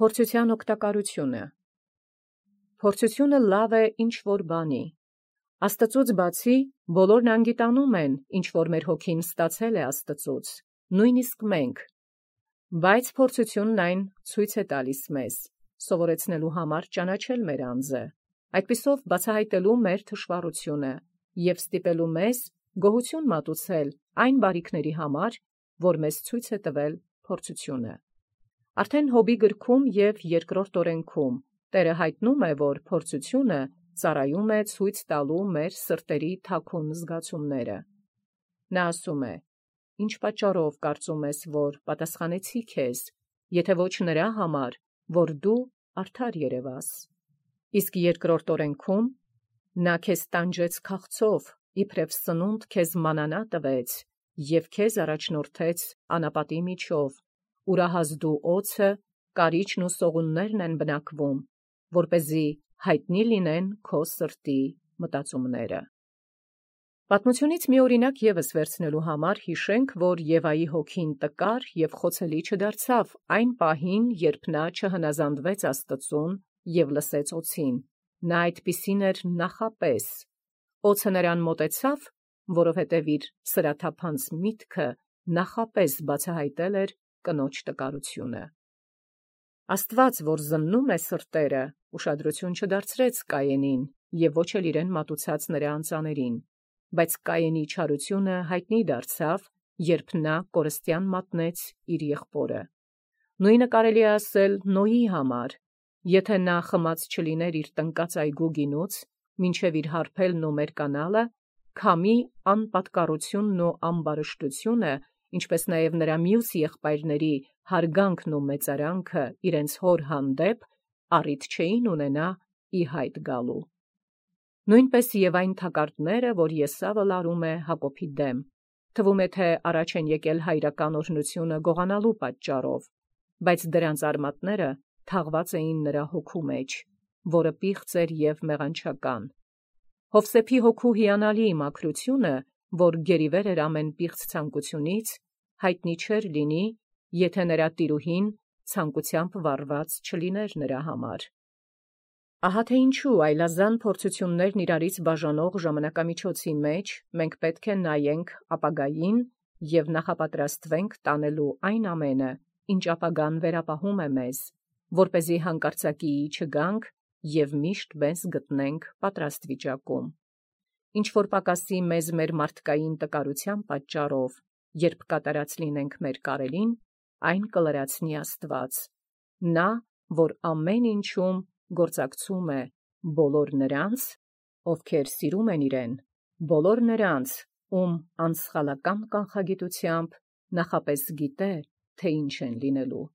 Փորձութեան օգտակարութիւնը։ Փորձութիւնը լավ է ինչ-որ բանի։ Աստուծոց բացի բոլորն անգիտանում են, ինչ-որ մեր հոգին ստացել է Աստուծոց, նույնիսկ մենք։ Բայց փորձութիւնն այն ցույց է տալիս մեզ, սովորեցնելու համար ճանաչել մեր անձը, այդպիսով բացահայտելու մեր թշվառությունը և ստիպելու մեզ գոհություն մատուցել այն բարիքների համար, որ մեզ ցույց է տվել փորձութիւնը։ Արդեն Յոբի գրքում և երկրորդ օրենքում Տէրը յայտնում է, որ փորձութիւնը ծառայում է ցույց տալու մեր սրտերի թաքուն զգացումները։ Նա ասում է. «Ինչ պատճառով կարծում ես, որ պատասխանեցի քեզ, եթե ոչ նրա համար, որ դու արդար երևաս»։ Իսկ երկրորդ օրենքում նա քեզ տանջեց քաղցով, իբրև սնունդ քեզ մանանա տվեց և քեզ առաջնորդեց անապատի միջով, ուրահազդու օձը, կարիճն ու սողուններն են բնակվում, որպեսզի յայտնի լինեն քո սրտի մտածումները։ Պատմությունից մի օրինակ ևս վերցնելու համար յիշենք, որ Եվայի հոգին տկար և խոցելի չդարձավ այն պահին, երբ նա չհնազանդվեց Աստծուն և լսեց օձին. նա այդպիսին էր նախապես։ Օձը նրան մոտեցավ, որովհետև իր սրաթափանց միտքը նախապես բացահայտել էր կնոջ տկարությունը։ Աստուած, որ զննում է սրտերը, ուշադրություն չդարձրեց Կայենին և ոչ էլ իրեն մատուցած նրա անձանցին, բայց Կայենի չարությունը յայտնի դարձավ, երբ նա կորստյան մատնեց իր եղբորը։ Նույնը կարելի է ասել Նոյի համար. եթե նա խմած չլիներ իր տնկած այգու գինուց, մինչև իր հարբելն ու մերկանալը, քամի անպատկառությունն ու ամբարշտությունը, ինչպես նաև նրա մյուս եղբայրների հարգանքն ու մեծարանքը իրենց հոր հանդեպ, առիթ չէին ունենա ի հայտ գալու։ Նույնպես և այն թակարդները, որ Եսավը լարում է Հակոբի դեմ, թվում է, թե առաջ են եկել հայրական օրհնությունը գողանալու պատճառով, բայց դրանց արմատները թաղված էին նրա հոգու մեջ, որը պիղծ էր և մեղանչական։ Յովսեփի հոգու հիանալի մաքրությունը, որ գերիվեր էր ամեն պիղծ ցանկությունից, յայտնի չէր լինի, եթե նրա տիրուհին ցանկությամբ վառված չլիներ նրա համար։ Ահա թե ինչու այլազան փորձութիւններն իրարից բաժանող ժամանակամիջոցի մեջ մենք պետք է նայենք ապագային և նախապատրաստվենք տանելու այն ամենը, ինչ ապագան վերապահում է մեզ, որպեսզի հանկարծակիի չգանք և միշտ մեզ գտնենք պատրաստ վիճակում։ Ինչ որ պակասի մեզ մեր մարդկային տկարութեան պատճառով, երբ կատարած լինենք մեր կարելին, այն կլրացնի Աստուած, նա, որ ամեն ինչում գործակցում է բոլոր նրանց, ովքեր սիրում են իրեն, բոլոր նրանց, ում անսխալական կանխագիտութեամբ նախապես գիտե, թե ինչ են լինելու։